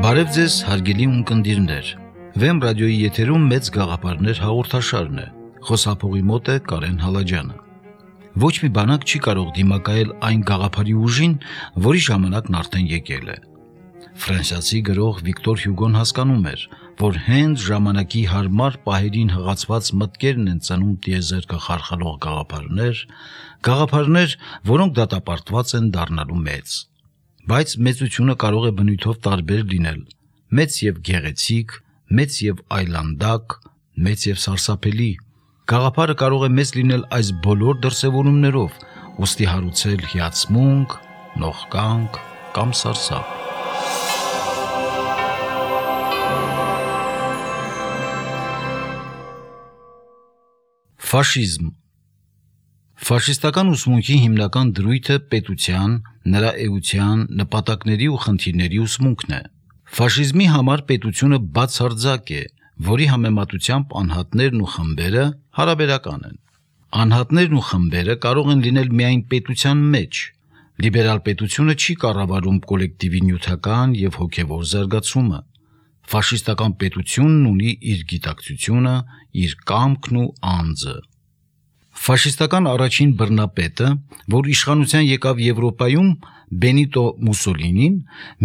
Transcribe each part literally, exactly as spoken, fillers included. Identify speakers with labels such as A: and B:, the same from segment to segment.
A: Բարև ձեզ, հարգելի ունկնդիրներ։ Վեմ ռադիոյի եթերում մեծ գաղափարներ հաղորդաշարն է։ Խոսափողի մոտ է Կարեն Հալաջյանը։ Ոչ մի բանակ չի կարող դիմակայել այն գաղափարի ուժին, որի ժամանակն արդեն եկել է։ Ֆրանսիացի գրող Վիկտոր Հյուգոն հասկանում էր, որ հենց ժամանակի հարմար պահերին հղացված մտքերն են ծնում տիեզերքը խարխալող գաղափարներ, գաղափարներ, որոնք դատապարտված են դառնալու մեծ։ Բայց մեծությունը կարող է բնույթով տարբեր լինել՝ մեծ եւ գեղեցիկ, մեծ եւ այլանդակ, մեծ եւ սարսափելի։ Գաղափարը կարող է մեծ լինել այս բոլոր դրսևորումներով, ուստի հարուցել հիացմունք, նողկանք կամ սարսափ։ Ֆաշիզմ։ Ֆաշիստական ուսմունքի հիմնական դրույթը պետության, նրա էության, նպատակների ու խնդիրների ուսմունքն է։ Ֆաշիզմի համար պետությունը բացարձակ է, որի համեմատությամբ անհատներն ու խմբերը հարաբերական են։ Անհատներն ու խմբերը կարող են լինել միայն պետության մեջ։ Լիբերալ պետությունը չի կառավարում կոլեկտիվի նյութական եւ հոգեվոր զարգացումը։ Ֆաշիստական պետությունն ունի իր գիտակցությունը, իր կամքն ու անձը։ Ֆաշիստական առաջին բռնապետը, որ իշխանության եկավ Եվրոպայում, Բենիտո Մուսոլինին,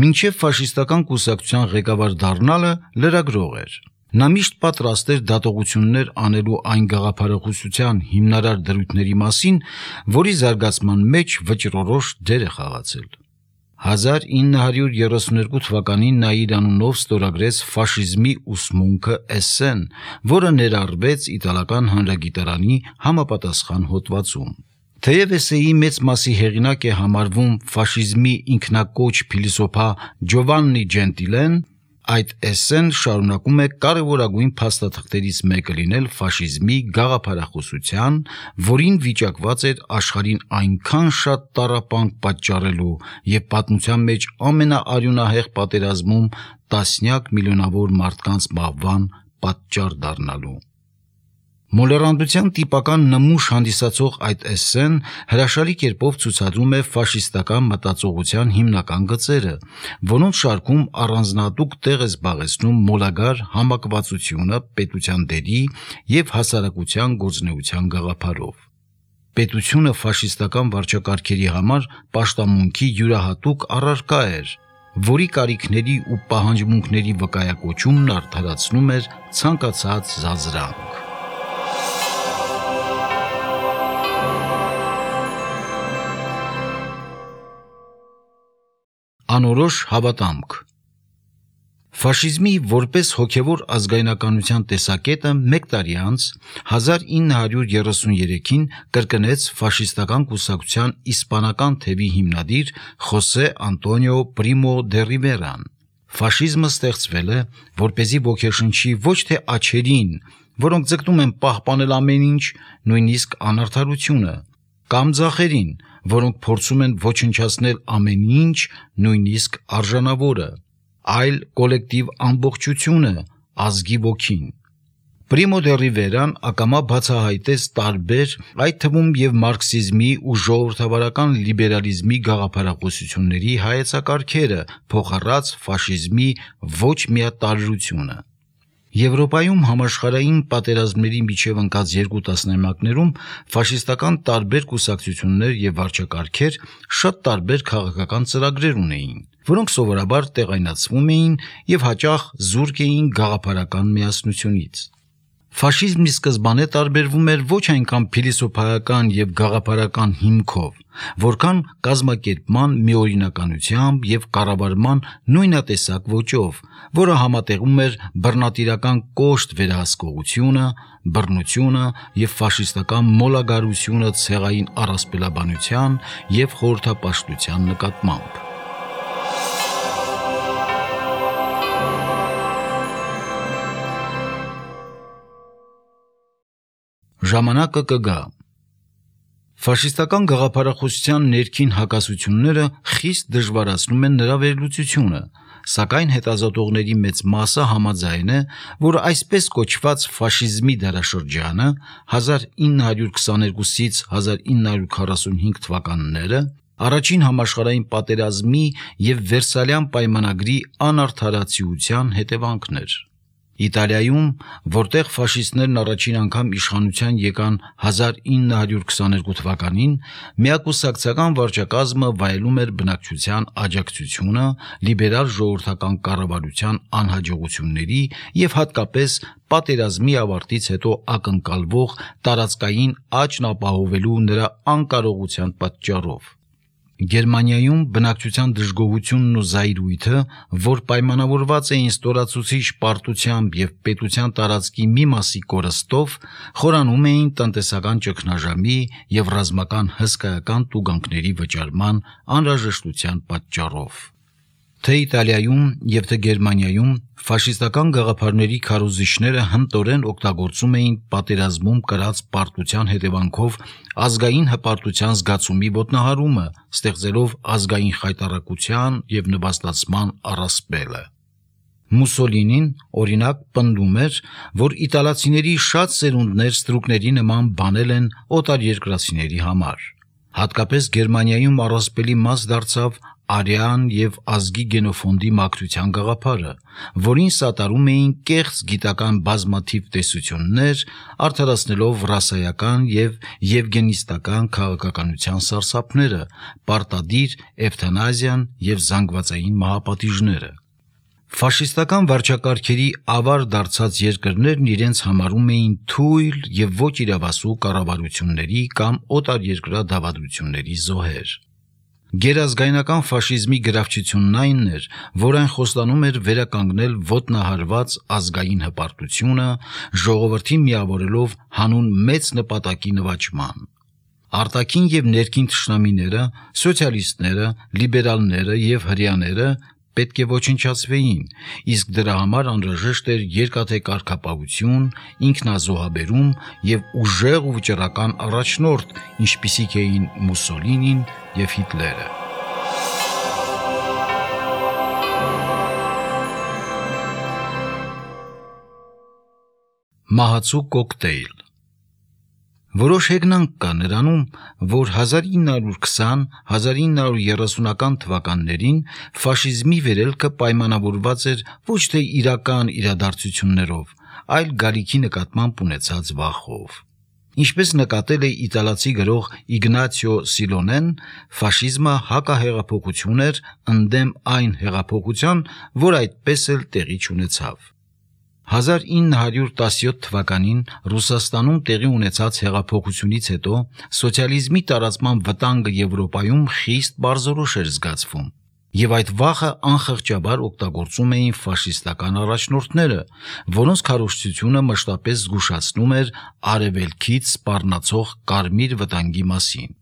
A: մինչև ֆաշիստական կուսակցության ղեկավար դառնալը լրագրող էր։ Նա միշտ պատրաստ էր դատողություններ անելու այն գաղափարախոսության հիմնարար դրույթների մասին, որի զարգացման մեջ վճռորոշ դեր է խաղացել։ հազար ինը հարյուր երեսունհինգ թվականին նա իր անունով ստորագրեց ֆաշիզմի ուսմունքը էսսեն, որը ներառվեց իտալական հանրագիտարանի համապատասխան հոդվածում։ Թեև էսսեի մեծ մասի հեղինակ է համարվում ֆաշիզմի ինքնակոչ փիլիսոփա Ջովաննի Ջենտիլեն, այդ էսսեն շարունակում է կարևորագույն փաստաթղթերից մեկը լինել ֆաշիզմի գաղափարախոսության, որին վիճակված էր աշխարհին այնքան շատ տառապանք պատճառելու եւ պատմության մեջ ամենաարյունահեղ պատերազմում տասնյակ միլիոնավոր մարդկանց մահվան պատճառ դառնալու։ Մոլեռանդության տիպական նմուշ հանդիսացող այդ էսսեն հրաշալի կերպով ցուցադրում է ֆաշիստական մտածողության հիմնական գծերը, որոնց շարքում առանձնահատուկ տեղ է զբաղեցնում մոլագար համակվածությունը պետության դերի եւ հասարակության գործունեության գաղափարով։ Պետությունը ֆաշիստական վարչակարգերի համար պաշտամունքի յուրահատուկ առարկա էր, որի կարիքների ու պահանջմունքների վկայակոչումն արդարացնում էր ցանկացած զազրանք։ Անորոշ հավատամք։ Ֆաշիզմի որպես հոգևոր ազգայնականության տեսակետը մեկ տարի անց հազար ինը հարյուր երեսուներեքին կրկնեց ֆաշիստական կուսակցության իսպանական թևի հիմնադիր Խոսե Անտոնիո Պրիմո դե Ռիվերան։ Ֆաշիզմը ստեղծվել է, որպեսզի ոգեշնչի ոչ թե աջերին, որոնք ձգտում են պահպանել ամեն ինչ, նույնիսկ անարդարությունը, կամ ձախերին, որոնք փորձում են ոչնչացնել ամեն ինչ, նույնիսկ արժանավորը, այլ կոլեկտիվ ամբողջությունը, ազգի ոգին։ Պրիմո դե Ռիվերան ակամա բացահայտեց տարբեր, այդ թվում եւ մարքսիզմի ու ժողովրդավարական լիբերալիզմի գաղափարախոսությունների հայեցակարգերը, փոխառած ֆաշիզմի ոչ միատարրությունը։ Եվրոպայում համաշխարհային պատերազմների միջև ընկած երկու տասնամյակներում ֆաշիստական տարբեր կուսակցություններ եւ վարչակարգեր շատ տարբեր քաղաքական ծրագրեր ունեին, որոնք սովորաբար տեղայնացվում էին եւ հաճախ զուրկ էին գաղափարական միասնությունից։ Ֆաշիզմի սկզբանե տարբերվում էր ոչ այնքան փիլիսոփայական եւ գաղափարական հիմքով, որքան կազմակերպման միօրինականությամբ եւ կառավարման նույնատեսակ ոճով, որը համատեղում էր բռնատիրական կոշտ վերահսկողությունը, բռնությունը եւ ֆաշիստական մոլագարությունը ցեղային առասպելաբանության եւ խորհրդապաշտության նկատմամբ։ Ժամանակը կգա։ Ֆաշիստական գաղափարախոսության ներքին հակասությունները խիստ դժվարացնում են նրա վերլուծությունը, սակայն հետազոտողների մեծ մասը համաձայն է, որ այսպես կոչված ֆաշիզմի դարաշրջանը հազար ինը հարյուր քսաներկուսից հազար ինը հարյուր քառասունհինգ թվականները Առաջին համաշխարհային պատերազմի եւ Վերսալյան պայմանագրի անարդարացիության հետևանքն էր։ Իտալիայում, որտեղ ֆաշիստներն առաջին անգամ իշխանության եկան հազար ինը հարյուր քսաներկու թվականին, միակուսակցական վարչակազմը վայելում էր բնակչության աջակցությունը, լիբերալ ժողովրդական կառավարության անհաջողությունների եւ հատկապես պատերազմի ավարտից հետո ակնկալվող տարածքային աճն ապահովելու նրա անկարողության պատճառով։ Գերմանիայում բնակչության դժգոհությունն ու զայրույթը, որ պայմանավորված էին ստորացուցիչ պարտությամբ եւ պետության տարածքի մի մասի կորստով, խորանում էին տնտեսական ճգնաժամի եւ ռազմական հսկայական տուգանքների վճարման անհրաժեշտության պատճառով։ Թե Իտալիայում եւ թե Գերմանիայում ֆաշիստական գաղափարների քարոզիչները հմտորեն օգտագործում էին պատերազմում կրած պարտության հետևանքով ազգային հպարտության զգացումի ոտնահարումը, ստեղծելով ազգային խայտառակության եւ նվաստացման առասպելը։ Մուսոլինին, օրինակ, պնդում էր, որ իտալացիների շատ սերունդներ ստրուկների նման բանել են օտարերկրացիների համար։ Հատկապես Գերմանիայում առասպելի մաս դարձավ արյան եւ ազգի գենոֆոնդի մաքրության գաղափարը, որին սատարում էին կեղծ գիտական բազմաթիվ տեսություններ, արդարացնելով ռասայական եւ եվգենիստական քաղաքականության սարսափները, պարտադիր էվթանազիան եւ զանգվածային մահապատիժները։ Ֆաշիստական վարչակարգերի ավար դարձած երկրներն իրենց համարում էին թույլ եւ ոչ իրավասու կառավարությունների կամ օտարերկրյա դավադրությունների զոհեր։ Գերազգայնական ֆաշիզմի գրավչությունն այն էր, որ այն խոստանում էր վերականգնել ոտնահարված ազգային հպարտությունը, ժողովրդին միավորելով հանուն մեծ նպատակի նվաճման։ Արտաքին եւ ներքին թշնամիները, սոցիալիստները, լիբերալները եւ հրեաները պետք է ոչնչացվեին, իսկ դրա համար անհրաժեշտ էր երկաթե կարգապահություն, ինքնազոհաբերում եւ ուժեղ ու վճռական առաջնորդ, ինչպիսիք էին Մուսոլինին եւ Հիտլերը։ Մահացու կոկտեյլ։ Որոշ հեգնանք կա նրանում, որ հազար ինը հարյուր քսան - հազար ինը հարյուր երեսունական թվականներին ֆաշիզմի վերելքը պայմանավորված էր ոչ թե իրական իրադարձություններով, այլ գալիքի նկատմամբ ունեցած վախով։ Ինչպես նկատել է իտալացի գրող Իգնացիո Սիլոնեն, ֆաշիզմը հակահեղափոխություն էր ընդդեմ այն հեղափոխության, որ այդպես էլ տեղի չունեցավ։ հազար ինը հարյուր տասնյոթ թվականին Ռուսաստանում տեղի ունեցած հեղափոխությունից հետո սոցիալիզմի տարածման վտանգը Եվրոպայում խիստ բարձրորոշ էր զգացվում, եւ այդ վախը անխղճաբար օգտագործում էին ֆաշիստական առաջնորդները, որոնց քարոզչությունը մշտապես զգուշացնում էր արևելքից սպառնացող կարմիր վտանգի մասին։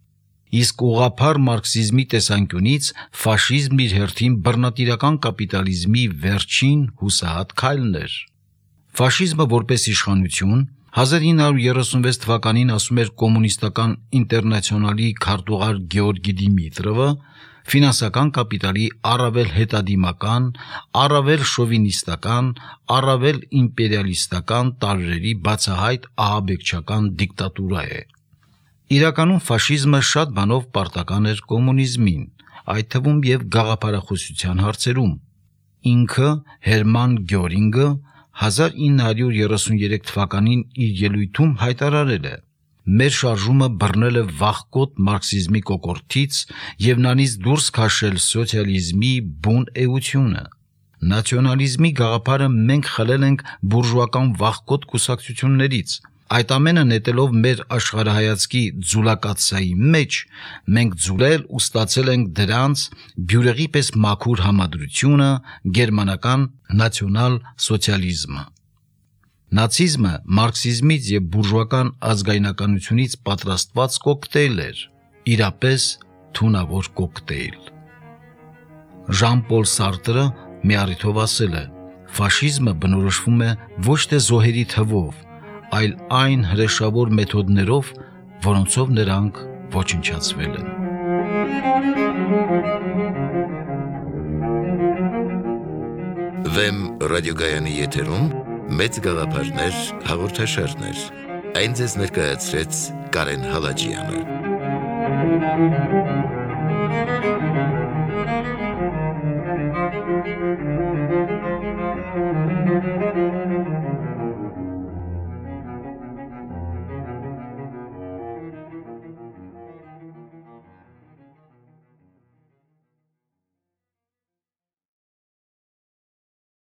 A: Իսկ ուղղափառ մարքսիզմի տեսանկյունից ֆաշիզմն իր հերթին բռնատիրական կապիտալիզմի վերջին հուսահատ քայլն էր։ Ֆաշիզմը որպես իշխանություն հազար ինը հարյուր երեսունվեց թվականին ասում էր կոմունիստական ինտերնացիոնալի քարտուղար Գեորգի Դիմիտրովը, ֆինանսական կապիտալի առավել հետադիմական, առավել շովինիստական, առավել իմպերիալիստական տարրերի բացահայտ ահաբեկչական դիկտատուրա է։ Իրականում ֆաշիզմը շատ բանով պարտական էր կոմունիզմին, այդ թվում եւ գաղափարախոսության հարցերում։ Ինքը Հերման Գյորինգը հազար ինը հարյուր երեսուներեք թվականին իր ելույթում հայտարարել է. «Մեր շարժումը բռնել է վախկոտ մարքսիզմի կոկորդից եւ նրանից դուրս քաշել սոցիալիզմի բուն էությունը։ Նացիոնալիզմի գաղափարը մենք խլել ենք բուրժուական վախկոտ կուսակցություններից։ Այդ ամենը նետելով մեր աշխարհայացքի ձուլակացայի մեջ, մենք ձուլել ու ստացել ենք դրանց բյուրեղի պես մաքուր համադրությունը, գերմանական նացիոնալ սոցիալիզմը։ Նացիզմը մարքսիզմից եւ բուրժուական ազգայնականությունից պատրաստված կոկտեյլ էր, իրապես թունավոր կոկտեյլ»։ Ժան-Պոլ Սարտրը մի առիթով ասել է. «Ֆաշիզմը բնորոշվում է ոչ թե զոհերի թվով, այլ այն հրեշավոր մեթոդներով, որոնցով նրանք ոչնչացվել են»։
B: Վեմ ռադիոգայանի եթերում մեծ գաղափարներ հաղորդաշարներ։ Այն ձեզ ներկայացրեց Կարեն Հալաջյանը։
C: Thank you.